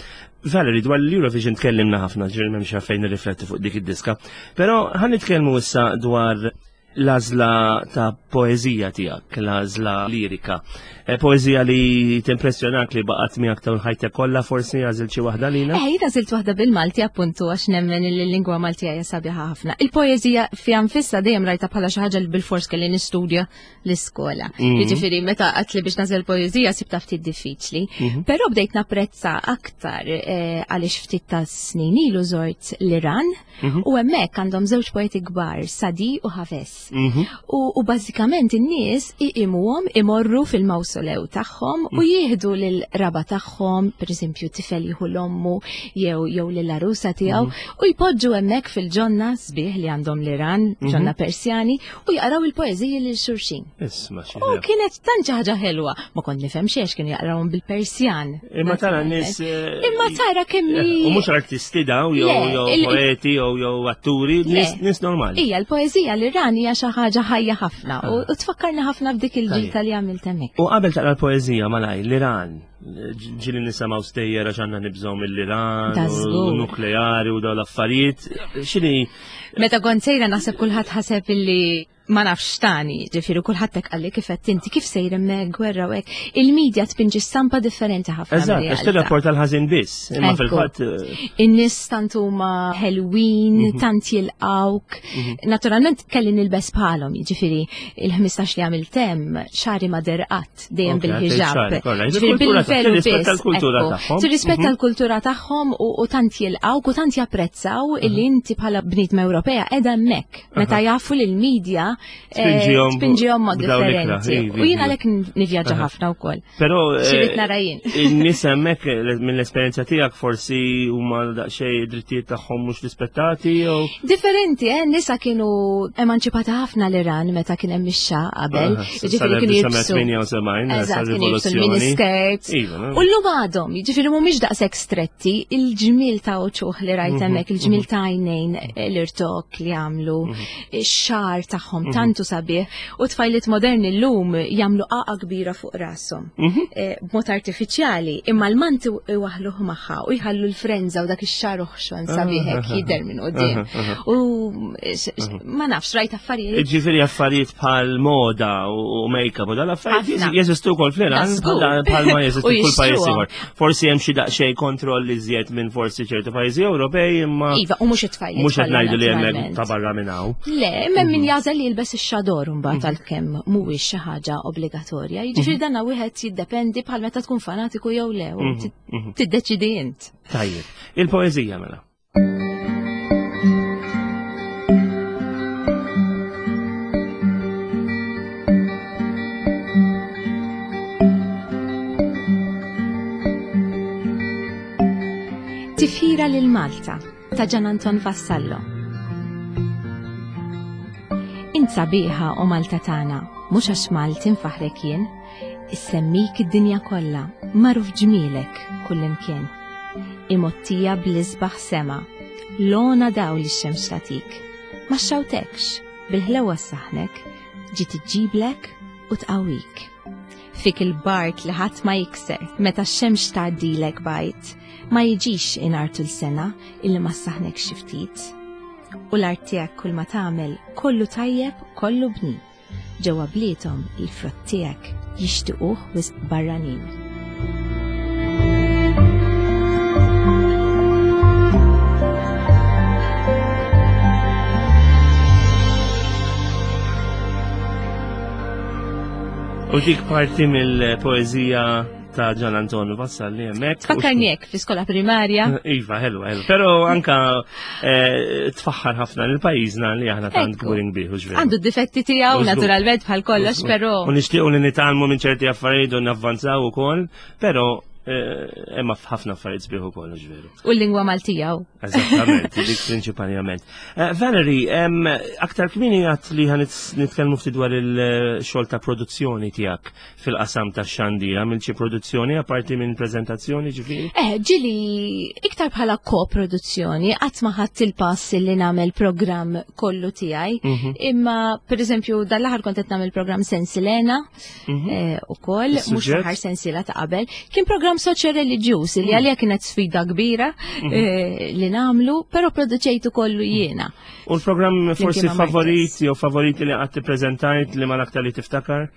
Valerie, dwar l-Eurovision tkellimna ħafna, ġifieri m'hemmx għalfejn nirrifletti fuq dik id-diska. Però ħa nitkellmu issa dwar l-għażla ta' poeżija tiegħek, l-għażla lirika. Eh, poeżija li timpressjonak li baqgħet miegħek tul ħajtek kollha, forsi għażilt xi waħda lina? Eh, jien għażilt waħda bil-Malti appuntu għax nemmen li l-lingwa Maltija hija sabiħa ħafna. Il-poeżija fiha nfisha dejjem rajta bħala xi ħaġa li bil-fors kelli nistudja l-iskola. Mhm. Jiġifieri meta qatt li biex nagħżel poeżija sibta ftit diffiċli. Mhm. Però bdejt napprezza aktar, eh, għaliex ftit ta' snin ilu żort l-Iran Mhm. u hemmhekk għandhom żewġ poeti kbar, Sadi u Hafez. Mhm. U, u bażikament in-nies iqimuhom imorru fil-mawsolew tagħhom u Mm. jieħdu lil raba tagħhom, pereżempju tifel jieħu l-ommu jew, jew lill-arusa tiegħu, Mm. u jpoġġu hemmhekk fil-ġonna sbieħ li għandhom l-Iran, Mhm. ġonna Persjani, u jaqraw il-poeżiji lil xulxin. Isma' xi U ħelu. kienet tant xi ħaġa ħelwa, ma kont nifhem xiex kienu jaqrawhom bil-Persjan. Imma tara n-nies, eh, Imma tara kemm hi U mhux artisti daw, jew Le, jew il- poeti, jew jew atturi, Le. nies, nies normali. Ija, l-poeżija l-Iran hija xi ħaġa ħajja ħafna u, u tfakkarna ħafna f'dik il-ġita li għamilt hemmhekk. U qabel taqra l-poeżija malaj, l-Iran, ġili nisimgħu stejjer għax għandna nibżgħu mill-Iran, Da u żgur. nukleari u dawn l-affarijiet. X'inhi? Meta kont sejra naħseb kulħadd ħaseb illi ma nafx tani, ġifieri kulħadd hekk qalli kif qed inti, kif sejr hemmhekk gwerra u hekk. Il-medja tpinġi stampa differenti ħafna Eżatt, għax mir-realtà. tirrapporta l-ħażin biss, imma Ekku. fil-fatt, eh, In-nies tant huma ħelwin, Mhm. tant jilqawk. Mhm. Naturalment kelli nilbes bħalhom, jiġifieri il-ħmistax li għamilt hemm xagħri ma derqat dejjem Ok, għaddej bil-ħiġab. xagħri, kollha. Ġifieri Il-kultura bil-velu tirrispetta biss, l-kultura ekku. tagħhom. Tirrispetta Mhm. l-kultura tagħhom u, u tant jilqawk u tant japprezzaw illi inti bħala bniedma Ewropea qiegħda hemmhekk. Meta Aha. jafu li l-medja, eh, Tpinġihom tpinġihom mod b'dawn l-ikra, differenti. ivi, U jien ivi. għalhekk nivvjaġġa Aha. ħafna wkoll. Però, eh, Xi nara jien. in-nies hemmhekk, eh, mill-esperjenza tiegħek forsi huma daqsxejn id-drittijiet tagħhom mhux rispettati jew Differenti, eh, nisa kienu emanċipata ħafna l-Iran meta kien hemm ix-xa qabel. Aha, Jiġifieri kienu jilbsu. sal-elf disa' mija tmienja u sebgħin, Eżatt, kienu jilbsu sal-rivoluzzjoni. l-miniskirts. Iva, no? U llum għadhom, jiġifieri mhumiex daqshekk stretti, il-ġmiel ta' uċuħ li rajt Mhm, hemmhekk, il-ġmiel mhm. ta' għajnejn, l-irtok li għamlu, Mhm. ix-xagħar tagħhom Mhm. tantu sabiħ, u tfajliet moderni llum jagħmlu qaqa kbira fuq rashom. Mhm. Eh, b'mod artifiċjali, imma l-manti iwaħluh magħha u jħallu l-frenza u dak ix-xagħar oħxon sabiħ hekk Aha. jidher minn quddiem. Aha, aha. U x-, x-, ma nafx, rajt affarijiet. Ġifieri affarijiet bħal moda u make-up u dal-affarijiet Ħafna. jeżistu wkoll fl-Iran, Da żgur. bħal bħalma jeżistu U kull pajjiż jixtruhom. ieħor. Forsi hemm xi daqsxejn kontroll iżjed minn forsi ċertu pajjiżi Ewropej, imma Iva, u mhux it-tfajliet mhux qed kollha, ngħidu li hemmhekk naturalment. ta' barra minn hawn. Le, imma min jażel li jilbes ix-xador mbagħad għalkemm mhuwiex xi ħaġa obbligatorja. Jiġifieri Mhm. dan wieħed jiddependi bħal meta tkun fanatiku jew le, u Mhm, ti- mhm. tiddeċidi int. Tajjeb, il-poeżija mela. Tifħira lil Malta ta' Gian Anton Vassallo. Int sabiħa o Malta tagħna, mhux għax Malti nfaħrek jien, issemmik id-dinja kollha, magħruf ġmielek kullimkien. Imottija bl-isbaħ sema, lona daw li x-xemx tagħtik. Ma xxawtekx, bil-ħlewa saħnek, ġiet iġġiblek u tqawwik. Fik il-bart li ħadd ma jikser, meta x-xemx tgħaddilek bajt, ma jiġix inartu l-sena illi ma saħnek xi ftit. U l-art tiegħek kull ma tagħmel kollu tajjeb, kollu bnin. Ġewwa bliethom il-frott tiegħek jixtiequh wisq barranin. U dik parti mill-poeżija ta' Gian Anton Vassalli hemmhekk. Tfakkarni hekk fl-iskola primarja. Iva, ħelu, ħelu. Però anka, eh, tfaħħar ħafna lil pajjiżna li aħna tant Ekku. kburin bih, u ġveru. Għandu d-difetti tiegħu Użgur. naturalment bħal kollox, Użgur. però U nixtiequ li nitgħallmu minn ċerti affarijiet u navvanzaw ukoll, però Eh, imma f'ħafna affarijiet sbieħ ukoll, ġveru. U l-lingwa Maltija. u. Eżattament, dik prinċipalment. Eh, Valerie, em, aktar kmieni għedt li ħa nitkellmu ftit dwar il-xogħol ta' produzzjoni tiegħek fil-qasam ta' xandir. Għamilt xi produzzjoni apparti minn preżentazzjoni ġifieri? Eh, ġili iktar bħala ko-produzzjoni, qatt ma ħadt il-pass li nagħmel programm kollu tiegħi. Mhm. Imma, per eżempju, dal-aħħar kont qed nagħmel programm Sensilena, Mhm. eh, ukoll, mhux Is-suġġett? l-aħħar sensila ta' qabel. Kien programm soċjo-reliġjuż li għalija kienet sfida kbira eh, li nagħmlu, però produċejtu kollu jiena. U l-programm forsi ma' Marcus. favorit jew favoriti li qatt tippreżentajt li ma l-aktar li tiftakar?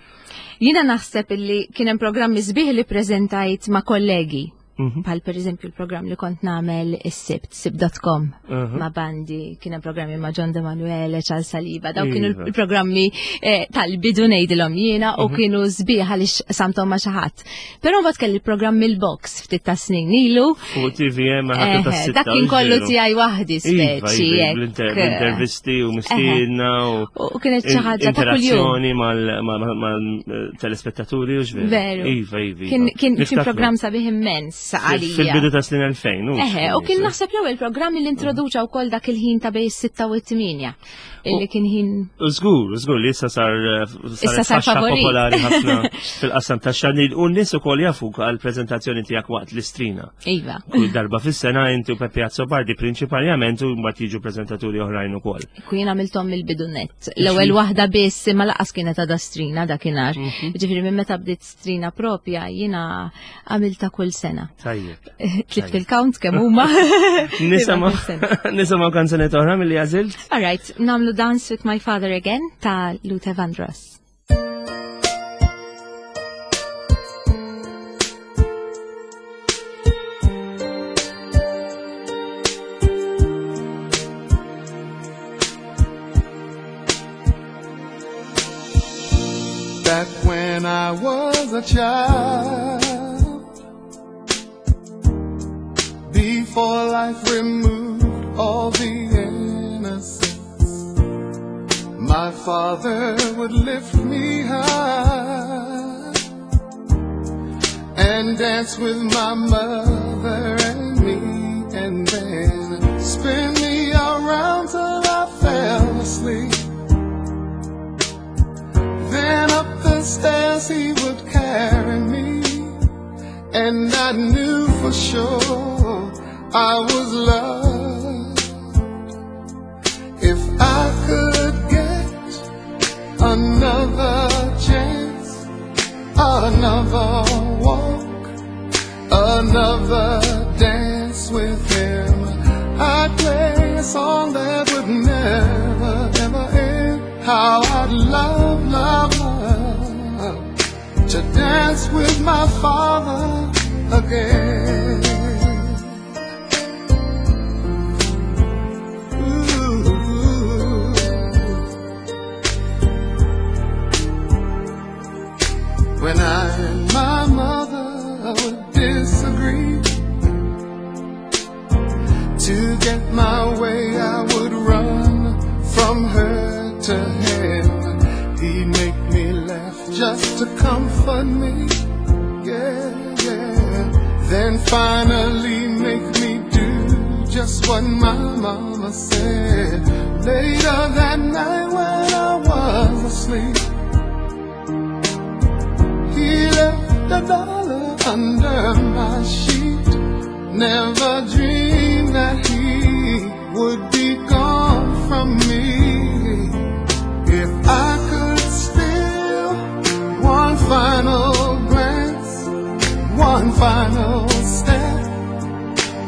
Jiena naħseb illi kien hemm programmi sbieħ li preżentajt ma' kollegi. Mhm. Bħal per eżempju il-programm li kont nagħmel is-Sibt, sibt punt com Mhm. ma' Bandi, kien hemm programmi ma' John De Manuele, Charles Saliba, daw kienu Iva. il-programmi eh, tal-bidu ngħidilhom jiena u kienu sbieħ għaliex samtom ma' xi ħadd. Però mbagħad kelli il-programm il-box ftit ta' snin ilu. Fuq T V M ma' ħadd Eh, dak kien kollu tiegħi waħdi Iva, speċi. iva, hekk. bl-intervisti u mistiedna u U kienet xi ħaġa ta' kuljum. interazzjoni mal-telespettaturi u x'veru. Veru. Iva, iva. Kien iva. kien kien Niftakru. programm sabiħ immens għalija. Fil-bidu ta' snin elfejn. U Eħe, u kien naħseb l-ewwel programm li introduċa wkoll dak il-ħin ta' bejn is-sitta u t-tmienja. Illi kien ħin U żgur, żgur li issa sar Issa sar faxxa favorit. popolari ħafna fil-qasam ta' xandir u n-nies ukoll jafuk għal-preżentazzjoni tiegħek waqt l-Istrina. Iva. Kull darba fis-sena inti u Peppi Azzopardi prinċipalment u mbagħad jiġu preżentaturi oħrajn ukoll. Ku jien għamilthom mill-bidu net. L-ewwel waħda biss imma lanqas kienet għadha Strina dakinhar. Mhm. Ġifieri minn meta bdiet Strina propja jiena għamilta kull sena. Tajjeb. Tlift il-count kemm huma. Nisimgħu Imma kull sena. nisimgħu kanzunetta oħra milli għażilt? All right, nagħmlu Dance with My Father Again ta' Luther Vandross. Back when I was a child, before life removed all the innocence, my father would lift me high and dance with my mother and me, and then spin me around till I fell asleep. Then up the stairs he would carry me, and I knew for sure I was loved. If I could get another chance, another walk, another dance with him, I'd play a song that would never ever end. How I'd love, love, love to dance with my father again. Ooh. When I and my mother would disagree, to get my way, I would run from her to him. He'd make me laugh just to comfort me. Yeah, yeah. Then finally make me do just what my mama said. Later that night when I was asleep, he left a dollar under my sheet. Never dreamed that he would be gone from me. If I could steal one final glance, one final step,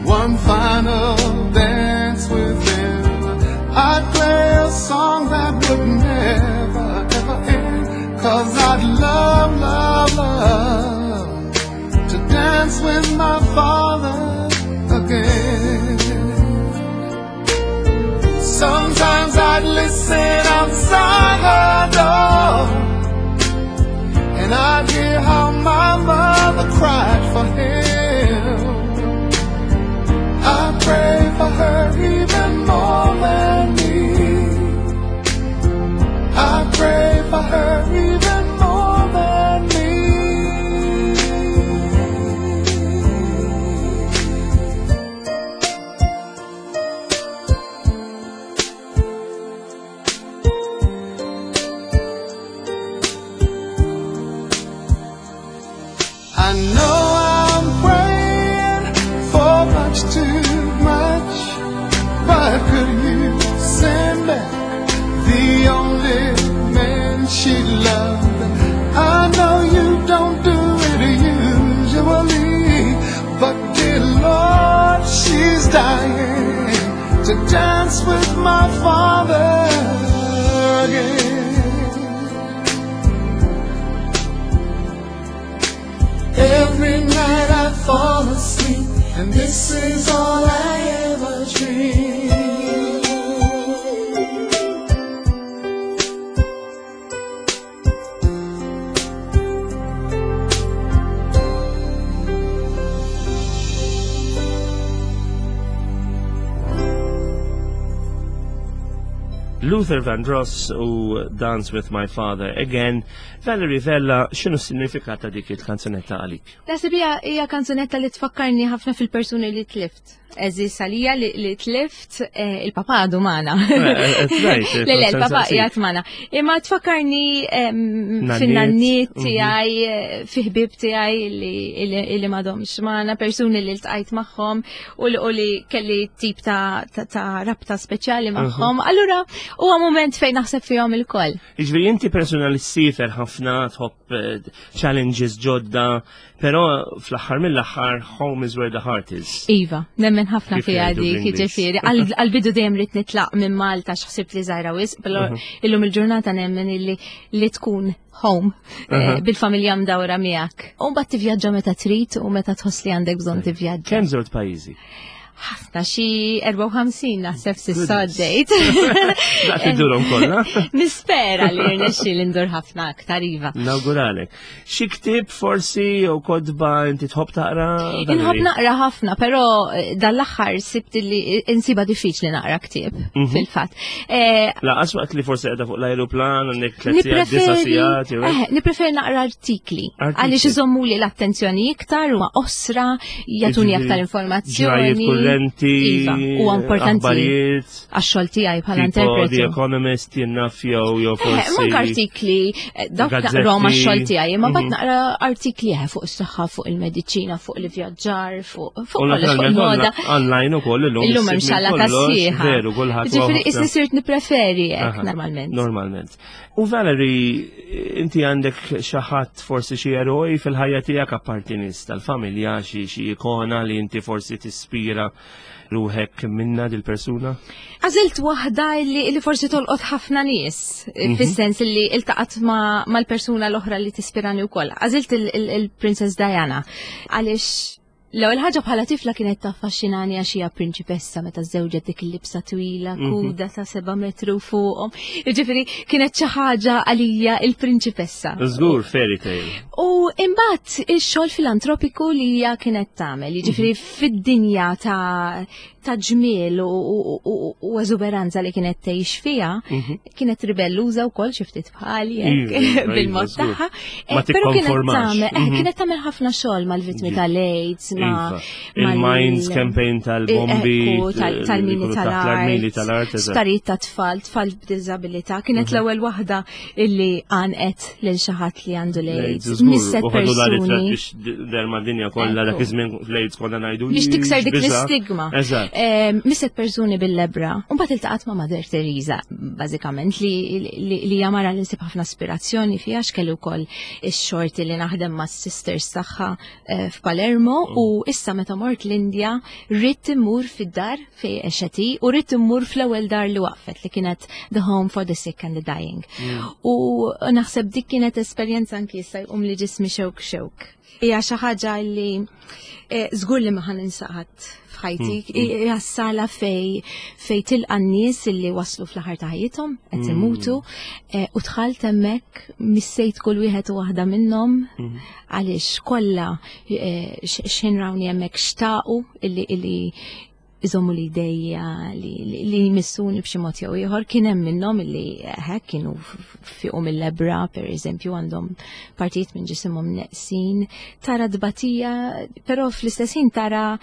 one final dance with him, I'd play a song that would never ever end. 'Cause I'd love, love, love to dance with my father again. Sometimes I'd listen outside her door, and I'd hear how my mother cried for him. I pray for her even more than me. I pray for her even more than me. know I'm praying for much too much, but could you send back the only man she loved? I know you don't do it usually, but dear Lord, she's dying to dance with my father again. Every night I fall asleep, and this is all I ever dream. Luther Vandross u Dance With My Father Again. Valerie Vella, x'inhu s-sinifikat ta' dik il-kanzunetta għalik? Naħseb hija hija kanzunetta li tfakkarni ħafna fil-persuni li tlift. Għeżież għalija li, li tlift eh, il-papa għadu magħna. Eh, eh, right, Le, le, il-papa sensaqsik. qiegħed magħna. Imma tfakkarni em, Nanniet, fin-nanniet mhm. tiegħi, eh, fi ħbieb tiegħi li, li, li m'għadhomx magħna, persuni li ltqajt magħhom u li, u li kelli tip ta', ta, ta' rabta speċjali magħhom. Allura huwa moment fejn naħseb fihom ilkoll. Jiġifieri inti persona li ssiefer ħafna, tħobb eh, challenges ġodda, però fl-aħħar mill-aħħar home is where the heart is. Iva, nemmen ħafna Kif fiha jgħidu dik, bl-Ingliż. jiġifieri. Għal- Għal-bidu dejjem ridt nitlaq minn Malta x'ħsibt li żgħira wisq, però illum il-ġurnata nemmen illi li tkun home eh, Mhm. bil-familja mdawra miegħek. U mbagħad tivvjaġġa meta trid u meta tħoss li għandek bżonn tivvjaġġa. Kemm żort pajjiżi? Ħafna xi erbgħa u ħamsin naħseb s'issa Goodness. għaddejt. Daqt iddurhom kollha. Nispera li rnexxi li ndur ħafna aktar iva. Nawguralek. Xi ktieb forsi jew kotba inti tħobb taqra? Inħobb Valerie? naqra ħafna, però eh, dal-aħħar sibt li insiba diffiċli naqra ktieb Mhm. fil-fatt. Eh, Lanqas waqt li forsi qiegħda fuq l-ajruplan għandek tliet sigħat, disa' sigħat, jew hekk. eh, nippreferi naqra artikli. Artikli. Għaliex iżommu li l-attenzjoni iktar u qosra, jagħtuni Jiġifieri, aktar Ġrajiet informazzjoni. kurrenti, Iva, huwa importanti aħbarijiet, għax-xogħol tiegħi bħala tipo The interpretu. Economist jien naf jew jew Eh, forsi. Manka artikli, eh, dawk Gazzetti. naqrom għax-xogħol tiegħi, imma mbagħad Mhm. naqra artikli eh, fuq is-saħħa, fuq il-mediċina, fuq l-ivvjaġġar, fuq fuq U kollox, fuq naturalment il-moda. online ukoll illum. Illum hemm issib minn xala kollox, tas-sieħa. Veru, kulħadd huwa Ġifieri ħafna. isni sirt nippreferi hekk Aha, normalment. Normalment. U Valerie, inti għandek xi ħadd forsi xi eroj fil-ħajja tiegħek apparti nies tal-familja, xi xi ikona li inti forsi tispira ruħek minna dil-persuna? Għażilt waħda li, li forsi tolqot ħafna nies, Mhm. fis-sens li iltaqat ma, mal-persuna l-oħra li tispirani wkoll. Għażilt il-Princess Diana għaliex l-ewwel ħaġa bħala tifla kienet taffaxxinani għax hija prinċipessa meta żewġet dik il-libsa twila, Mhm. kuda ta' seba' metru fuqhom. Jiġifieri kienet xi ħaġa għalija il-prinċipessa. Żgur fairy tale. U imbagħad ix-xogħol filantropiku li hija kienet tagħmel, jiġifieri fid-dinja ta' ta' ġmiel u, u, u, u eżuberanza li kienet tgħix fiha, kienet ribelluża wkoll xi ftit bħali hekk, Iva, iva, bil-mod żgur. tagħha. Ma Eh, Però kienet tikkonformax. tagħmel eh, Mhm. kienet tagħmel ħafna xogħol mal-vittmi Iva. tal-AIDS, ma Iva. Il-Mines campaign tal-bombi, Ekku, tal- eh, tal-mini li jkunu taħt tal-art, l-armili tal-art, eżatt. sptarijiet ta' tfal, tfal b'diżabilità. Kienet Mhm. l-ewwel waħda illi għanqet lil xi ħadd li għandu l-AIDS. Żgur, Misset u ħadu la ritratt persuni biex der mad-dinja kollha dak Ekku. iż-żmien fl-AIDS konna ngħidu. biex tikser dik biża'. l-istigma. Eżatt. Eh, Misset persuni bil-lebra. U mbagħad iltaqat ma' Mother Teresa, bażikament, li li li hija mara li nsib ħafna aspirazzjoni fiha x'kellu wkoll ix-xorti li naħdem ma' sisters tagħha eh, f'Palermo u issa meta mort l-Indja ridt immur fid-dar fejn għexet hi u ridt immur fl-ewwel dar li waqfet li kienet The Home for the Sick and the Dying. U naħseb dik kienet esperjenza anki issa jqum li ġismi xewk xewk. Hija xi ħaġa li eh, żgur li ma ħa ninsa qatt f'ħajti. Hija sala fej fej tilqa' n-nies illi waslu fl-aħħar ta' ħajjithom qed imutu eh, u dħalt hemmhekk missejt kull wieħed u waħda minnhom għaliex kollha eh, x- x'ħin rawni hemmhekk xtaqu illi illi iżommu li idejja li, li, li jmissuni b'xi mod jew ieħor kien hemm minnhom illi hekk kienu fiqu mill-lebra pereżempju għandhom partijiet minn ġisimhom neqsin tara dbatija però fl-istess ħin tara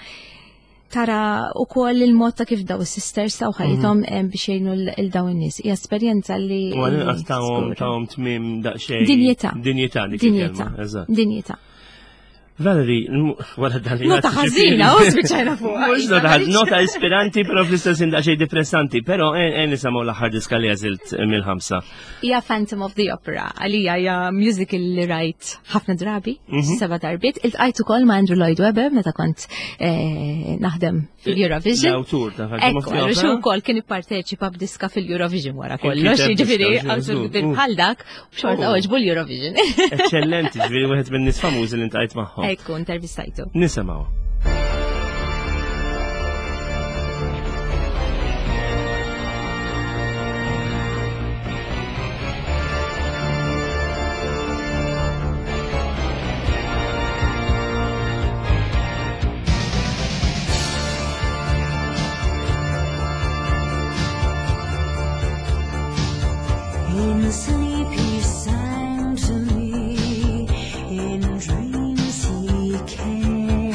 tara ukoll il-mod ta' kif daw is-sisters taw ħajjithom eh, biex jgħinu l daw in-nies. Hija esperjenza li U għal-inqas li tawhom żgur. tawhom tmiem daqsxejn. Dinjità. Dinjità dik Dinjità. il-kelma. Eżatt. Valerie, wara dan li Nota ħażina, u spiċċajna fuq. Mhux nota ħażina, nota ispiranti, però fl-istess ħin daqsxejn depressanti, però en nisimgħu l-aħħar diska li għażilt mill-ħamsa. Hija Phantom of the Opera, għalija hija musical li rajt ħafna drabi, Mhm. seba' darbiet. Iltqajt ukoll ma' Andrew Lloyd Webber meta kont eh, naħdem fil-Eurovision. L-awtur ta' Phantom of Ekku, the għallu Opera. xu wkoll kien ipparteċipa b'diska fil-Eurovision wara Kien kollox, kiteb jiġifieri diska, awtur żgur. kbir bħal dak, u xorta Oh. għoġbu l-Eurovision. Eċċellenti, ġifieri wieħed minn nies famużi li ntqajt magħhom. Ekku, intervistajtu. Nisimgħu. In sleep he sang to me, in dreams he came.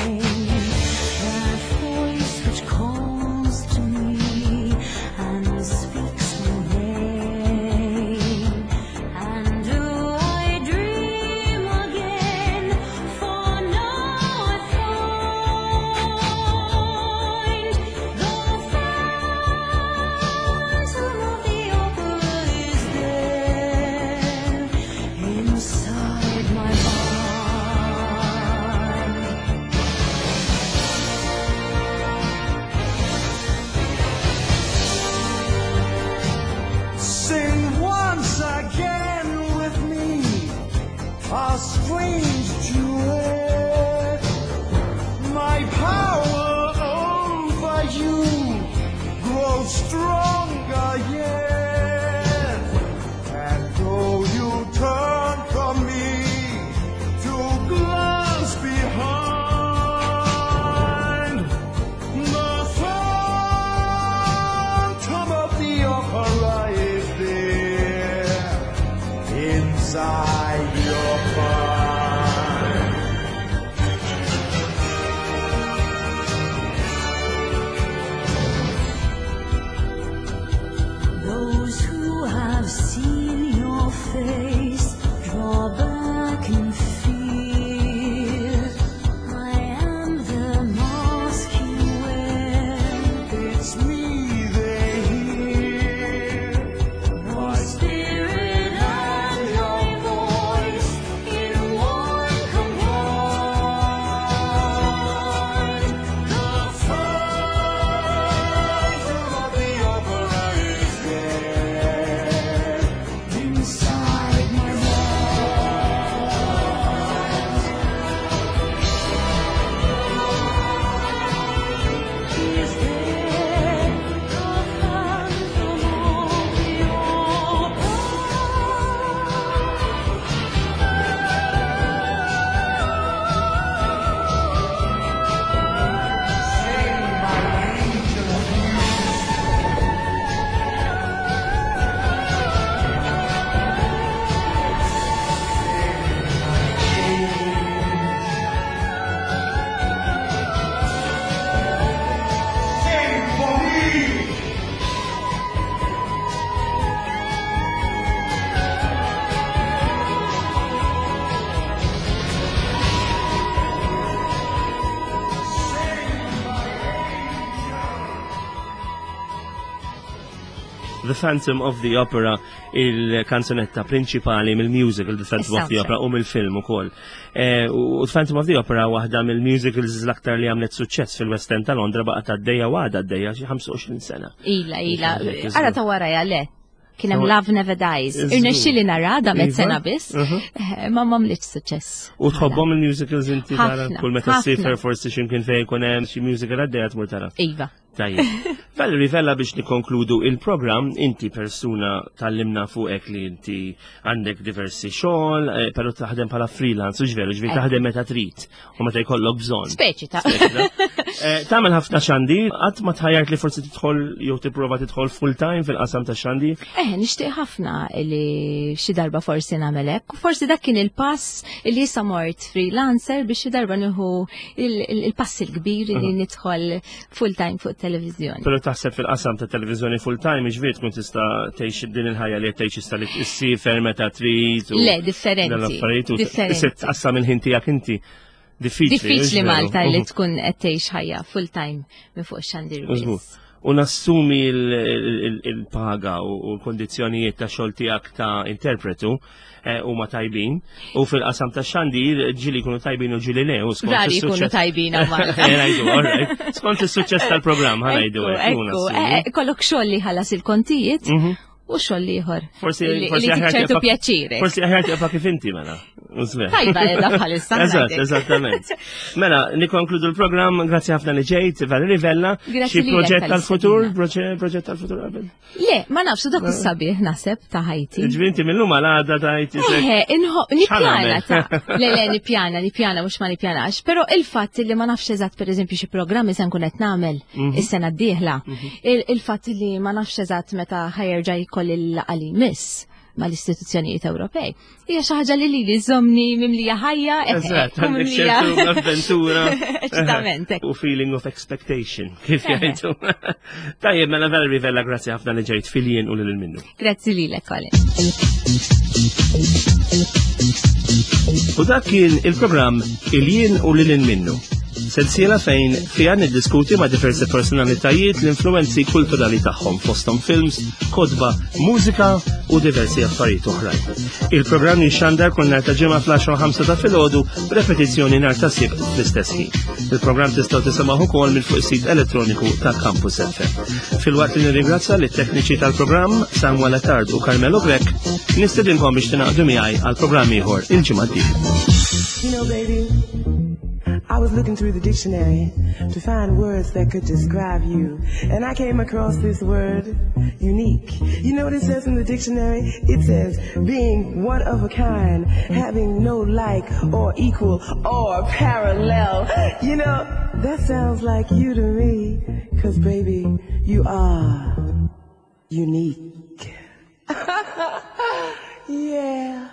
That voice which calls to me and speaks my name. And do I dream again? For now I find the Phantom of the Opera is there inside my mind. Sing once again with me a strange duet. My power over you grows stronger yet. And though you turn from me to glance behind, the Phantom of the Opera is there inside your mind. Those who have seen your face draw back in fear. I am the mask you wear. It's me they hear. My spirit and my voice in one combine. The Phantom of the Opera is there inside my mind. Is there the Phantom of the Opera? Sing for me! The Phantom of the Opera, il-kanzunetta prinċipali mill-musical The Phantom of the Is-soundtrack. Opera u mill-film ukoll. Eh, U The Phantom of the Opera waħda mill-musicals l-aktar li għamlet suċċess fil-West End ta' Londra baqgħet għaddejja u għadha għaddejja xi ħamsa u għoxrin sena. Ila, ila. Iżgur. Ara ta' wara le. Kien hemm Tawa- Love Never Dies. Iżgur. Irnexxieli nara da met Iva. sena biss, Mhm. eh, ma m'għamlitx suċċess. U tħobbhom il-musicals inti tara Ħafna, kull meta ħafna. ssifer forsi x'imkien fejn jkun hemm xi musical għaddejja tmur tara. Iva. Tajjeb. Valerie Vella, biex nikonkludu il-program, inti persuna tallimna fuqek li inti għandek diversi xogħol, eh, però taħdem bħala freelance, u ġveru, ġveri Eh. taħdem meta trid u meta jkollok bżonn. Speċi ta' Eh, Tagħmel ħafna xandir, qatt ma tħajjart li forsi tidħol jew tipprova tidħol full time fil-qasam ta' xandir? Eh, nixtieq ħafna li xi darba forsi nagħmel hekk. U forsi dak kien il-pass li issa mort freelancer biex xi darba nieħu il- il- il-pass il-kbir li nidħol full time fuq televizjoni. Però taħseb fil-qasam ta' televizjoni full time, ġifieri tkun tista' tgħix din il-ħajja li qed tgħix issa li ssifer meta trid u Le, differenti. dan l-affarijiet u Differenti. se tqassam il-ħin tiegħek inti. Diffiċli. Diffiċli veru. Malta li Mhm. tkun qed tgħix ħajja full time minn fuq xandir Użgur. biss. U nassumi il- il- il-paga u l-kondizzjonijiet ta' xogħol tiegħek ta' interpretu eh, huma tajbin u fil-qasam ta' xandir ġieli jkunu tajbin u ġieli le u skont Rari jkunu is-suċċess- tajbin hawn Malta. Eh, ngħidu, all right. Skont is-suċċess tal-programm ħa ngħidu hekk, u Ekku, nassumi. eh, kollok xogħol li ħallas il-kontijiet Mhm. u xogħol ieħor. Forsi li forsi li aħjar ċertu tibqa'- pjaċiri. Forsi aħjar tibqa' kif inti mela. Użver. Tajba edha bħalissa. Eżatt, ngħidlek. eżattament. Mela, nikonkludu l-programm, grazzi ħafna li ġejt, Valerie Vella, Grazzi xi lilek proġett tal-futur, tal-istedina. proġett proġett tal-futur qabel. Le, ma nafx dak is-sabiħ naħseb ta' ħajti. Ġifieri inti mill-lum għal għada tajt isek. Eħe, inħo, nippjana X'għamel? ta' le, le, nippjana, nippjana, mhux ma nippjanax. Però il-fatt li ma nafx eżatt per eżempju xi programmi se nkun qed nagħmel Mhm. is-sena d-dieħla. Il- Il-fatt li ma nafx eżatt meta ħa jerġa' jkolli l-laqgħa li jmiss mal-istituzzjonijiet Ewropej. Hija xi ħaġa li lili żommni mimlija ħajja, eħe, Eżatt, u għandek mimlija- ċertu avventura. Eċitament, hekk. U feeling of expectation, kif Eħe. jgħidu. Tajjeb, mela Valerie Vella, grazzi ħafna li ġejt fil-jien u lil minnu. Grazzi lilek, Colin. U dak kien il-programm Il-jien u lil minnu. Sensiela fejn fija niddiskuti ma' diversi personalitajiet l-influenzi kulturali tagħhom fosthom films, kotba, mużika u diversi affarijiet oħrajn. Il-programm jixxandar kull nhar ta' ġimgħa fl-għaxra u ħamsa ta' filgħodu b'repetizzjoni nhar ta' Sibt fl-istess ħin. Il-programm tistgħu tisimgħu ukoll minn fuq is-sit elettroniku ta' Campus F M. Filwaqt li nirringrazzja lit-tekniċi tal-programm Samuel Attard u Carmelo Grech, nistedinkom biex tingħaqdu miegħi għal programm ieħor il-ġimgħa d-dieħla. You know, baby, I was looking through the dictionary to find words that could describe you. And I came across this word, unique. You know what it says in the dictionary? It says being one of a kind, having no like or equal or parallel. You know, that sounds like you to me. 'Cause baby, you are unique. Yeah.